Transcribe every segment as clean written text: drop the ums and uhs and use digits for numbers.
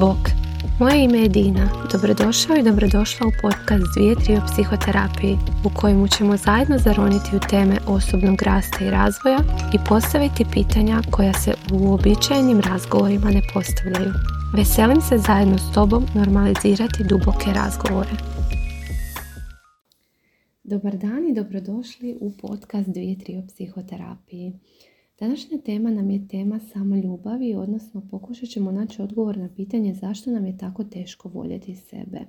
Bok, moje ime je Dina. Dobrodošao i dobrodošla u podcast 2-3 o psihoterapiji u kojemu ćemo zajedno zaroniti u teme osobnog rasta i razvoja i postaviti pitanja koja se u uobičajenim razgovorima ne postavljaju. Veselim se zajedno s tobom normalizirati duboke razgovore. Dobar dan i dobrodošli u podcast 2-3 o psihoterapiji. Današnja tema nam je tema samoljubavi, odnosno pokušat ćemo naći odgovor na pitanje zašto nam je tako teško voljeti sebe.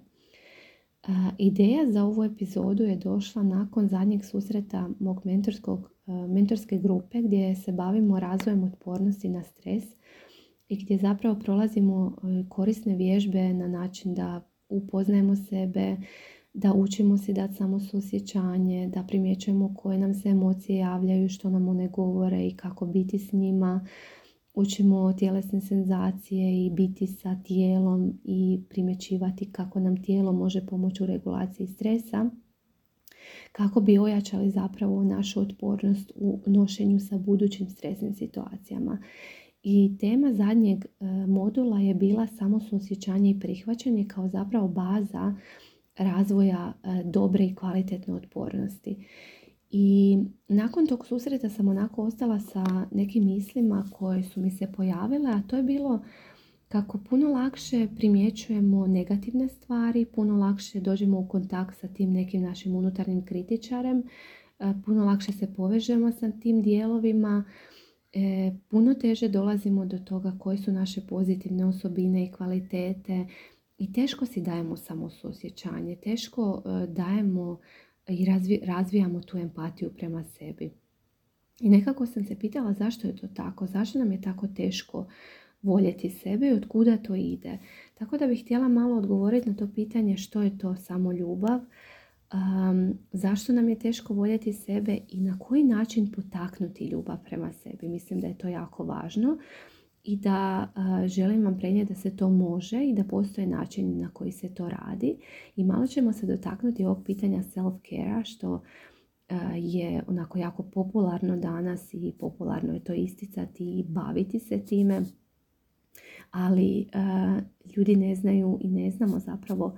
Ideja za ovu epizodu je došla nakon zadnjeg susreta mog mentorske grupe gdje se bavimo razvojem otpornosti na stres i gdje zapravo prolazimo korisne vježbe na način da upoznajemo sebe, da učimo si dati samosuosjećanje, da primjećujemo koje nam se emocije javljaju, što nam one govore i kako biti s njima. Učimo tjelesne senzacije i biti sa tijelom i primjećivati kako nam tijelo može pomoći u regulaciji stresa, kako bi ojačali zapravo našu otpornost u nošenju sa budućim stresnim situacijama. I tema zadnjeg modula je bila samosuosjećanje i prihvaćanje kao zapravo baza razvoja dobre i kvalitetne otpornosti. I nakon tog susreta sam onako ostala sa nekim mislima koje su mi se pojavile, a to je bilo kako puno lakše primjećujemo negativne stvari, puno lakše dođemo u kontakt sa tim nekim našim unutarnjim kritičarem, puno lakše se povežemo sa tim dijelovima, puno teže dolazimo do toga koje su naše pozitivne osobine i kvalitete. I teško si dajemo samosuosjećanje, teško dajemo i razvijamo tu empatiju prema sebi. I nekako sam se pitala zašto je to tako, zašto nam je tako teško voljeti sebe i otkuda to ide. Tako da bih htjela malo odgovoriti na to pitanje što je to samoljubav, zašto nam je teško voljeti sebe i na koji način potaknuti ljubav prema sebi. Mislim da je to jako važno. I da želim vam prenijeti da se to može i da postoje način na koji se to radi. I malo ćemo se dotaknuti ovog pitanja self-care-a što je onako jako popularno danas i popularno je to isticati i baviti se time. Ali ljudi ne znaju i ne znamo zapravo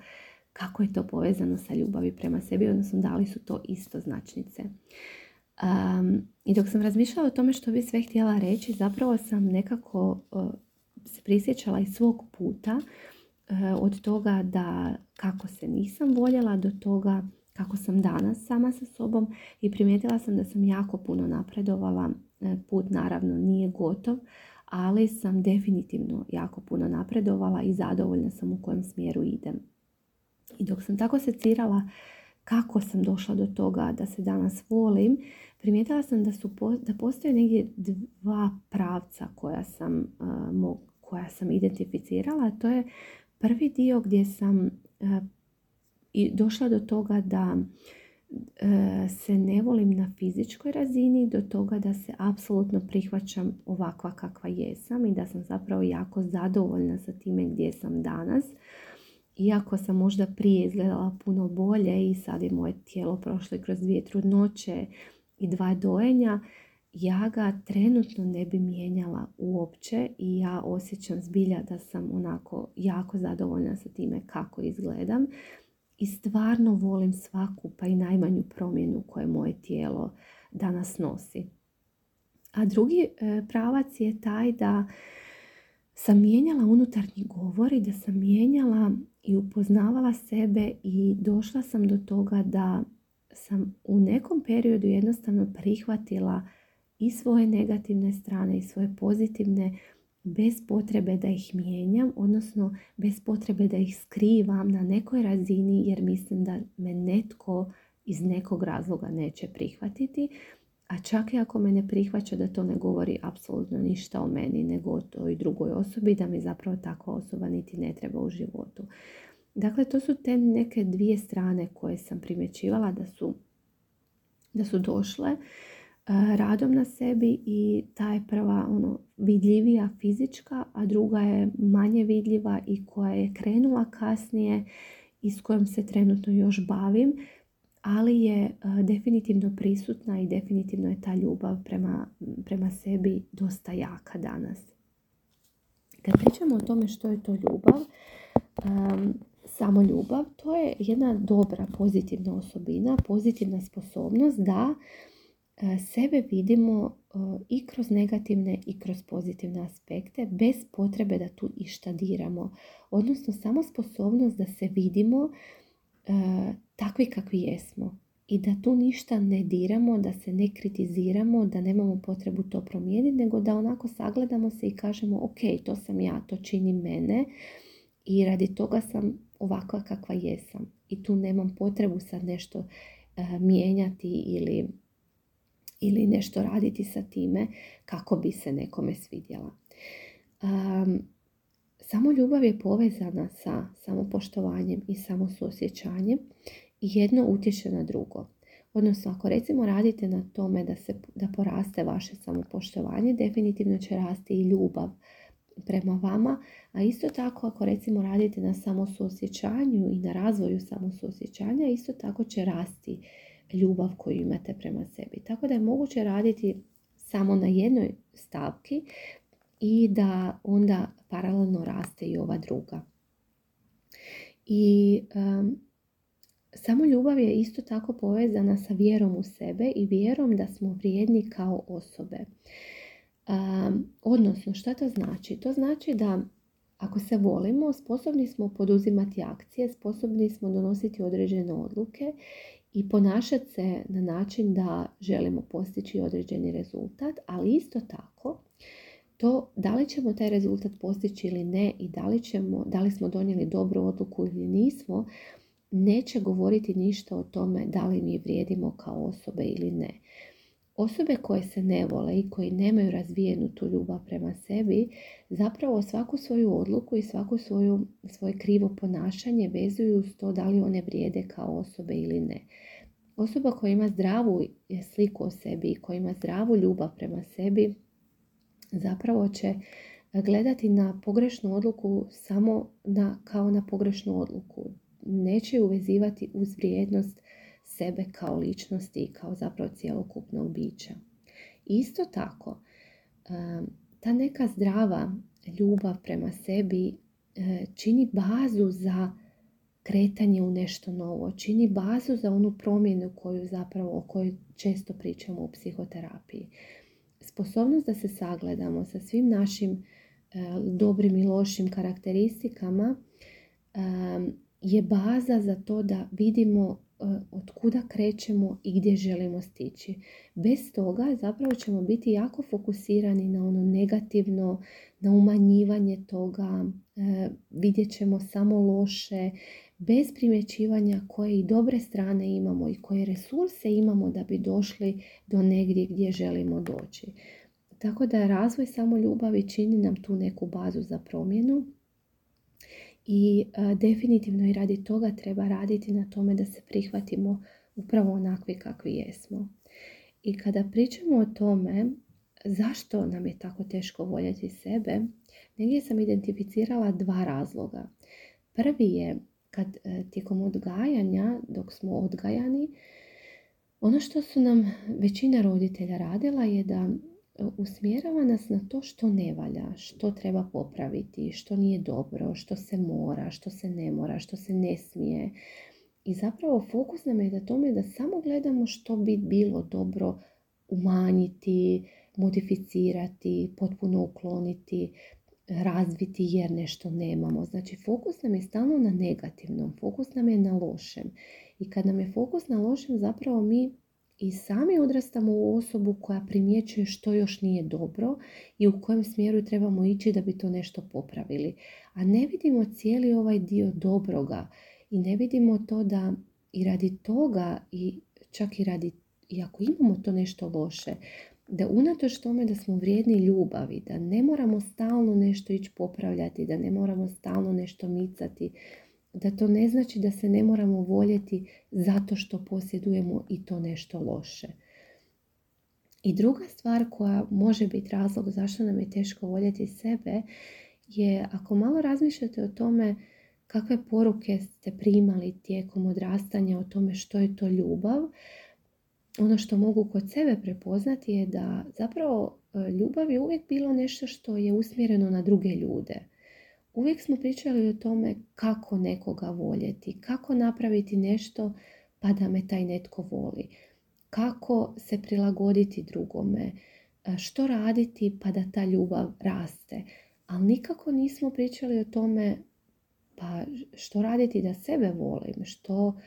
kako je to povezano sa ljubavi prema sebi, odnosno da li su to istoznačnice. I dok sam razmišljala o tome što bi sve htjela reći, zapravo sam nekako se prisjećala iz svog puta od toga da kako se nisam voljela do toga kako sam danas sama sa sobom i primijetila sam da sam jako puno napredovala. Put naravno nije gotov, ali sam definitivno jako puno napredovala i zadovoljna sam u kojem smjeru idem. I dok sam tako secirala kako sam došla do toga da se danas volim, primijetila sam da postoje negdje dva pravca koja sam identificirala. To je prvi dio gdje sam došla do toga da se ne volim na fizičkoj razini, do toga da se apsolutno prihvaćam ovakva kakva jesam i da sam zapravo jako zadovoljna sa time gdje sam danas. Iako sam možda prije izgledala puno bolje i sad je moje tijelo prošlo kroz 2 trudnoće i 2 dojenja, ja ga trenutno ne bi mijenjala uopće i ja osjećam zbilja da sam onako jako zadovoljna sa time kako izgledam i stvarno volim svaku pa i najmanju promjenu koje moje tijelo danas nosi. A drugi pravac je taj da sam mijenjala unutarnji govor i da sam mijenjala i upoznavala sebe i došla sam do toga da sam u nekom periodu jednostavno prihvatila i svoje negativne strane i svoje pozitivne bez potrebe da ih mijenjam, odnosno bez potrebe da ih skrivam na nekoj razini jer mislim da me netko iz nekog razloga neće prihvatiti. A čak i ako me ne prihvaća da to ne govori apsolutno ništa o meni nego o toj drugoj osobi, da mi zapravo takva osoba niti ne treba u životu. Dakle, to su te neke dvije strane koje sam primjećivala da su došle radom na sebi i ta je prva vidljivija fizička, a druga je manje vidljiva i koja je krenula kasnije i s kojom se trenutno još bavim. Ali je definitivno prisutna i definitivno je ta ljubav prema sebi dosta jaka danas. Kad pričamo o tome što je to ljubav, samo ljubav, to je jedna dobra pozitivna osobina, pozitivna sposobnost da sebe vidimo i kroz negativne i kroz pozitivne aspekte bez potrebe da tu išta diramo. Odnosno samo sposobnost da se vidimo takvi kakvi jesmo i da tu ništa ne diramo, da se ne kritiziramo, da nemamo potrebu to promijeniti, nego da onako sagledamo se i kažemo ok, to sam ja, to čini mene i radi toga sam ovakva kakva jesam. I tu nemam potrebu sad nešto mijenjati ili nešto raditi sa time kako bi se nekome svidjela. Samo ljubav je povezana sa samopoštovanjem i samosuosjećanjem i jedno utječe na drugo. Odnosno, ako recimo radite na tome da poraste vaše samopoštovanje, definitivno će rasti i ljubav prema vama, a isto tako ako recimo radite na samosuosjećanju i na razvoju samosuosjećanja, isto tako će rasti ljubav koju imate prema sebi. Tako da je moguće raditi samo na jednoj stavki i da onda paralelno raste i ova druga. I samo ljubav je isto tako povezana sa vjerom u sebe i vjerom da smo vrijedni kao osobe. Odnosno, šta to znači? To znači da ako se volimo, sposobni smo poduzimati akcije, sposobni smo donositi određene odluke i ponašati se na način da želimo postići određeni rezultat, ali isto tako to da li ćemo taj rezultat postići ili ne i da li smo donijeli dobru odluku ili nismo, neće govoriti ništa o tome da li mi vrijedimo kao osobe ili ne. Osobe koje se ne vole i koji nemaju razvijenu tu ljubav prema sebi, zapravo svaku svoju odluku i svoje krivo ponašanje vezuju s to da li one vrijede kao osobe ili ne. Osoba koja ima zdravu sliku o sebi i koja ima zdravu ljubav prema sebi, zapravo će gledati na pogrešnu odluku samo kao na pogrešnu odluku. Neće ju vezivati uz vrijednost sebe kao ličnosti i kao zapravo cjelokupnog bića. Isto tako, ta neka zdrava ljubav prema sebi čini bazu za kretanje u nešto novo, čini bazu za onu promjenu o kojoj često pričamo u psihoterapiji. Sposobnost da se sagledamo sa svim našim dobrim i lošim karakteristikama je baza za to da vidimo od kuda krećemo i gdje želimo stići. Bez toga zapravo ćemo biti jako fokusirani na ono negativno, na umanjivanje toga, vidjet ćemo samo loše, bez primjećivanja koje i dobre strane imamo i koje resurse imamo da bi došli do negdje gdje želimo doći. Tako da razvoj samoljubavi čini nam tu neku bazu za promjenu i definitivno i radi toga treba raditi na tome da se prihvatimo upravo onakvi kakvi jesmo. I kada pričamo o tome zašto nam je tako teško voljeti sebe, negdje sam identificirala 2 razloga. Prvi je kad tijekom odgajanja, dok smo odgajani, ono što su nam većina roditelja radila je da usmjerava nas na to što ne valja, što treba popraviti, što nije dobro, što se mora, što se ne mora, što se ne smije. I zapravo fokus nam je na tome da samo gledamo što bi bilo dobro umanjiti, modificirati, potpuno ukloniti, razviti jer nešto nemamo. Znači fokus nam je stalno na negativnom, fokus nam je na lošem. I kad nam je fokus na lošem, zapravo mi i sami odrastamo u osobu koja primjećuje što još nije dobro i u kojem smjeru trebamo ići da bi to nešto popravili. A ne vidimo cijeli ovaj dio dobroga i ne vidimo to da i radi toga i čak i ako imamo to nešto loše, da unatoč tome da smo vrijedni ljubavi, da ne moramo stalno nešto ići popravljati, da ne moramo stalno nešto micati, da to ne znači da se ne moramo voljeti zato što posjedujemo i to nešto loše. I druga stvar koja može biti razlog zašto nam je teško voljeti sebe je ako malo razmišljate o tome kakve poruke ste primali tijekom odrastanja o tome što je to ljubav, ono što mogu kod sebe prepoznati je da zapravo ljubav je uvijek bilo nešto što je usmjereno na druge ljude. Uvijek smo pričali o tome kako nekoga voljeti, kako napraviti nešto pa da me taj netko voli, kako se prilagoditi drugome, što raditi pa da ta ljubav raste. Ali nikako nismo pričali o tome pa što raditi da sebe volim, što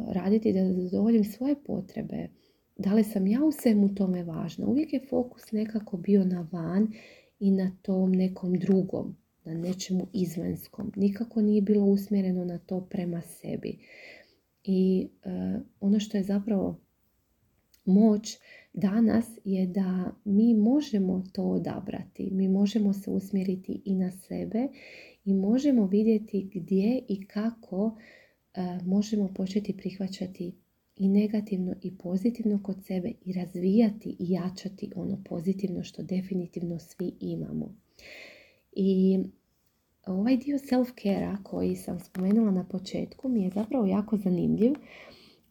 raditi da zadovoljim svoje potrebe, da li sam ja u svemu tome važna. Uvijek je fokus nekako bio na van i na tom nekom drugom, na nečemu izvanskom. Nikako nije bilo usmjereno na to prema sebi. I ono što je zapravo moć danas je da mi možemo to odabrati. Mi možemo se usmjeriti i na sebe i možemo vidjeti gdje i kako možemo početi prihvaćati i negativno i pozitivno kod sebe i razvijati i jačati ono pozitivno što definitivno svi imamo. I ovaj dio self-care-a koji sam spomenula na početku mi je zapravo jako zanimljiv,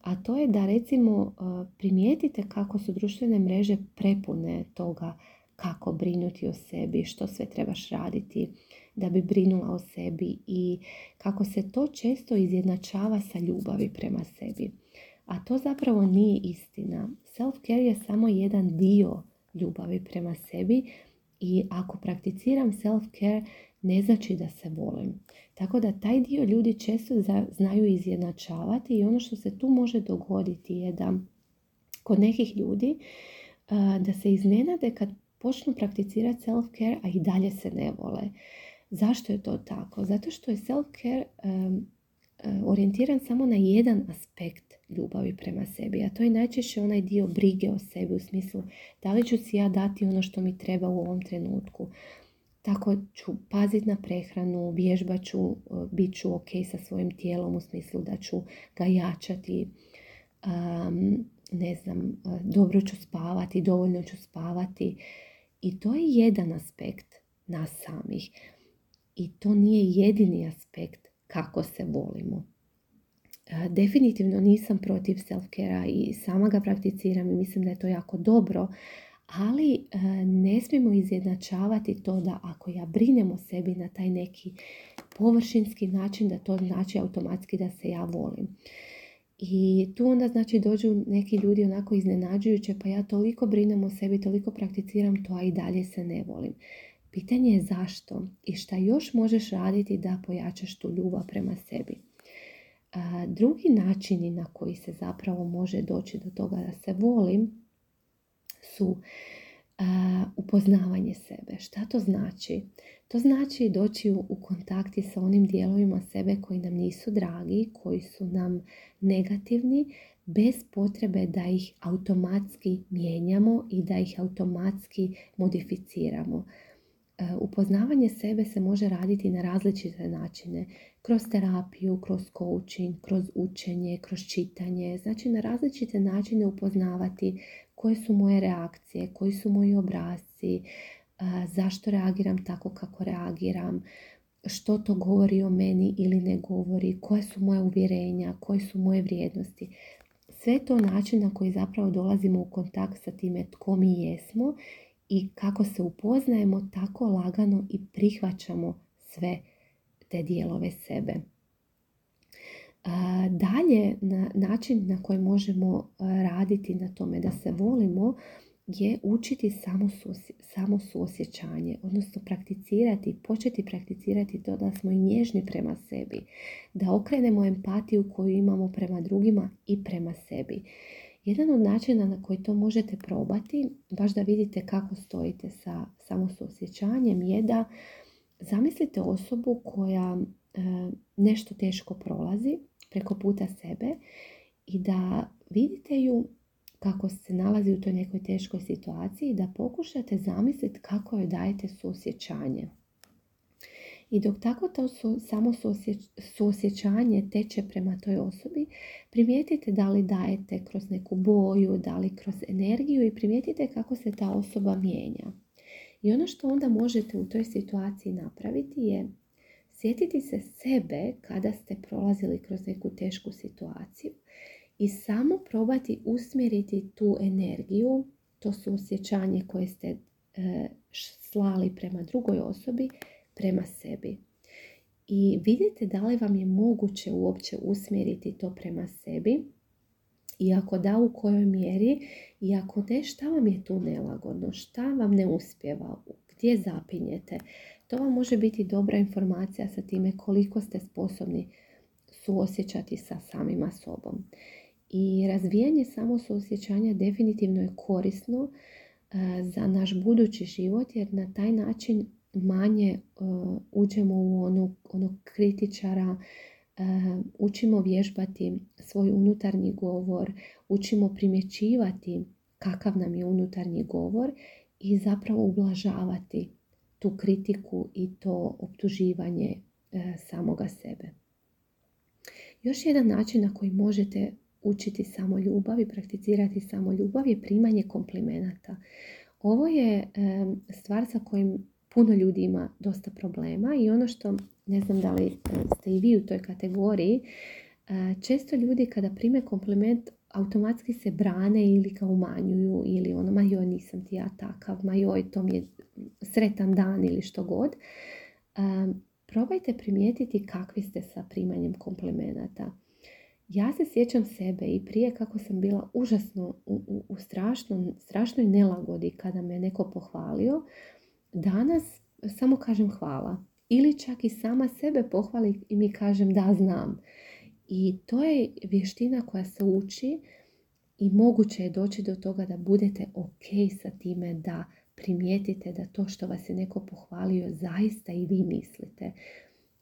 a to je da recimo primijetite kako su društvene mreže prepune toga kako brinuti o sebi, što sve trebaš raditi da bi brinula o sebi i kako se to često izjednačava sa ljubavi prema sebi. A to zapravo nije istina. Self-care je samo jedan dio ljubavi prema sebi i ako prakticiram self-care ne znači da se volim. Tako da taj dio ljudi često znaju izjednačavati i ono što se tu može dogoditi je da kod nekih ljudi da se iznenade kad počnu prakticirati self-care, a i dalje se ne vole. Zašto je to tako? Zato što je self-care orijentiran samo na jedan aspekt ljubavi prema sebi, a to je najčešće onaj dio brige o sebi u smislu da li ću si ja dati ono što mi treba u ovom trenutku. Tako ću paziti na prehranu, vježbat ću, bit ću ok sa svojim tijelom u smislu da ću ga jačati, dobro ću spavati, dovoljno ću spavati. I to je jedan aspekt nas samih. I to nije jedini aspekt kako se volimo. Definitivno nisam protiv self-care-a i sama ga prakticiram i mislim da je to jako dobro, ali ne smijemo izjednačavati to da ako ja brinem o sebi na taj neki površinski način, da to znači automatski da se ja volim. I tu onda znači dođu neki ljudi onako iznenađujuće, pa ja toliko brinem o sebi, toliko prakticiram to, a i dalje se ne volim. Pitanje je zašto i šta još možeš raditi da pojačaš tu ljubav prema sebi. Drugi načini na koji se zapravo može doći do toga da se volim su upoznavanje sebe. Šta to znači? To znači doći u kontakti sa onim dijelovima sebe koji nam nisu dragi, koji su nam negativni, bez potrebe da ih automatski mijenjamo i da ih automatski modificiramo. Upoznavanje sebe se može raditi na različite načine. Kroz terapiju, kroz coaching, kroz učenje, kroz čitanje. Znači na različite načine upoznavati koje su moje reakcije, koji su moji obrasci, zašto reagiram tako kako reagiram, što to govori o meni ili ne govori, koje su moje uvjerenja, koje su moje vrijednosti. Sve to način na koji zapravo dolazimo u kontakt sa time tko mi jesmo i kako se upoznajemo, tako lagano i prihvaćamo sve te dijelove sebe. Dalje, način na koji možemo raditi na tome da se volimo je učiti samo suosjećanje, odnosno početi prakticirati to da smo i nježni prema sebi, da okrenemo empatiju koju imamo prema drugima i prema sebi. Jedan od načina na koji to možete probati, baš da vidite kako stojite sa samosuosjećanjem, je da zamislite osobu koja nešto teško prolazi preko puta sebe i da vidite ju kako se nalazi u toj nekoj teškoj situaciji i da pokušate zamisliti kako joj dajete suosjećanje. I dok tako to samo suosjećanje teče prema toj osobi, primijetite da li dajete kroz neku boju, da li kroz energiju i primijetite kako se ta osoba mijenja. I ono što onda možete u toj situaciji napraviti je sjetiti se sebe kada ste prolazili kroz neku tešku situaciju i samo probati usmjeriti tu energiju, to suosjećanje koje ste slali prema drugoj osobi, prema sebi. I vidite da li vam je moguće uopće usmjeriti to prema sebi i ako da, u kojoj mjeri, i ako ne, šta vam je tu nelagodno, šta vam ne uspijeva, gdje zapinjete. To vam može biti dobra informacija sa time koliko ste sposobni suosjećati sa samima sobom. I razvijanje suosjećanja definitivno je korisno za naš budući život, jer na taj način manje uđemo u onog kritičara, učimo vježbati svoj unutarnji govor, učimo primjećivati kakav nam je unutarnji govor i zapravo ublažavati tu kritiku i to optuživanje samoga sebe. Još jedan način na koji možete učiti samoljubav i prakticirati samoljubav je primanje komplimenata. Ovo je stvar sa kojim puno ljudi ima dosta problema i ono što, ne znam da li ste i vi u toj kategoriji, često ljudi kada prime kompliment automatski se brane ili ga umanjuju ili ono, ma joj, nisam ti ja takav, ma joj, to mi je sretan dan ili što god. Probajte primijetiti kakvi ste sa primanjem komplimenata. Ja se sjećam sebe i prije kako sam bila užasno u strašnoj nelagodi kada me neko pohvalio. Danas samo kažem hvala. Ili čak i sama sebe pohvali i mi kažem da, znam. I to je vještina koja se uči i moguće je doći do toga da budete ok sa time, da primijetite da to što vas je neko pohvalio zaista i vi mislite.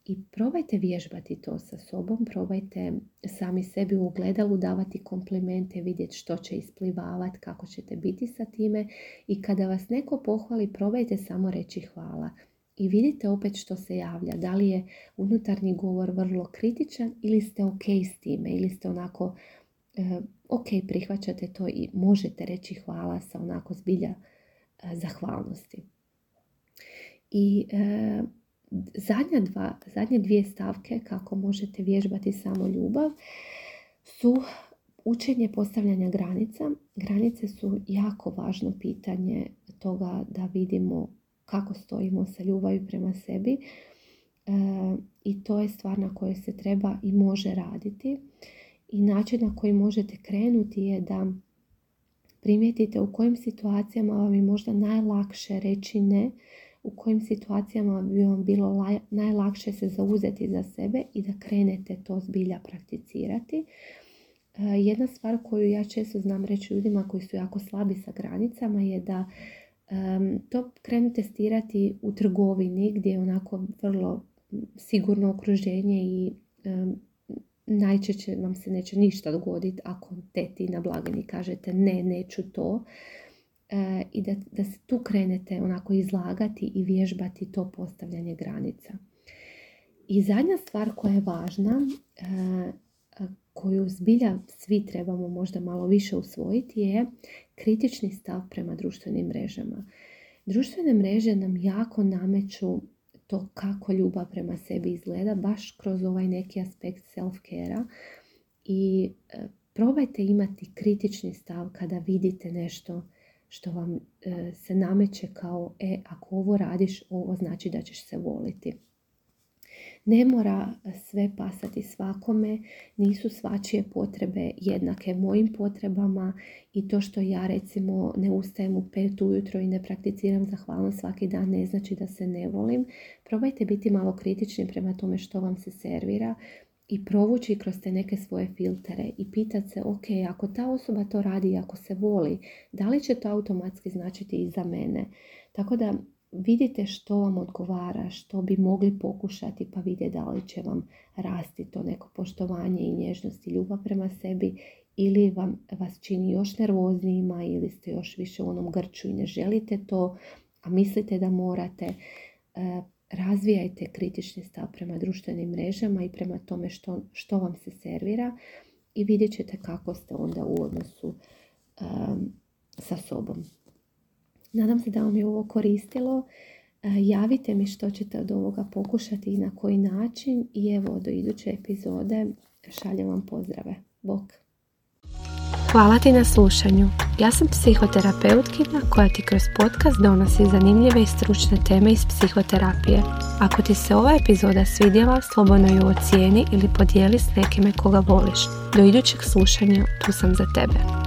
I probajte vježbati to sa sobom, probajte sami sebi u ogledalu davati komplimente, vidjeti što će isplivavati, kako ćete biti sa time. I kada vas neko pohvali, probajte samo reći hvala. I vidite opet što se javlja. Da li je unutarnji govor vrlo kritičan ili ste ok s time, ili ste onako ok, prihvaćate to i možete reći hvala sa onako zbilja zahvalnosti. I zadnje dvije stavke kako možete vježbati samoljubav su učenje postavljanja granica. Granice su jako važno pitanje toga da vidimo kako stojimo sa ljubavi prema sebi i to je stvar na kojoj se treba i može raditi. I način na koji možete krenuti je da primijetite u kojim situacijama vam je možda najlakše reći ne, u kojim situacijama bi vam bilo najlakše se zauzeti za sebe i da krenete to zbilja prakticirati. Jedna stvar koju ja često znam reći ljudima koji su jako slabi sa granicama je da to krenu testirati u trgovini gdje je onako vrlo sigurno okruženje i najčešće vam se neće ništa dogoditi ako teti na blagajni kažete ne, neću to. I da se tu krenete onako izlagati i vježbati to postavljanje granica. I zadnja stvar koja je važna, koju zbilja svi trebamo možda malo više usvojiti, je kritični stav prema društvenim mrežama. Društvene mreže nam jako nameću to kako ljubav prema sebi izgleda, baš kroz ovaj neki aspekt self-care-a. I probajte imati kritični stav kada vidite nešto što vam se nameće kao ako ovo radiš, ovo znači da ćeš se voliti. Ne mora sve pasati svakome, nisu svačije potrebe jednake mojim potrebama i to što ja recimo ne ustajem u 5 ujutro i ne prakticiram zahvalnost svaki dan ne znači da se ne volim. Probajte biti malo kritični prema tome što vam se servira i provući kroz te neke svoje filtere i pitati se ok, ako ta osoba to radi i ako se voli, da li će to automatski značiti i za mene? Tako da vidite što vam odgovara, što bi mogli pokušati pa vidjeti da li će vam rasti to neko poštovanje i nježnost i ljubav prema sebi ili vas čini još nervoznijima ili ste još više u onom grču i ne želite to, a mislite da morate. Razvijajte kritični stav prema društvenim mrežama i prema tome što vam se servira i vidjet ćete kako ste onda u odnosu sa sobom. Nadam se da vam je ovo koristilo. Javite mi što ćete od ovoga pokušati i na koji način i evo do iduće epizode šaljem vam pozdrave. Bok! Hvala ti na slušanju. Ja sam psihoterapeutkinja koja ti kroz podcast donosi zanimljive i stručne teme iz psihoterapije. Ako ti se ova epizoda svidjela, slobodno ju ocijeni ili podijeli s nekime koga voliš. Do idućeg slušanja, tu sam za tebe.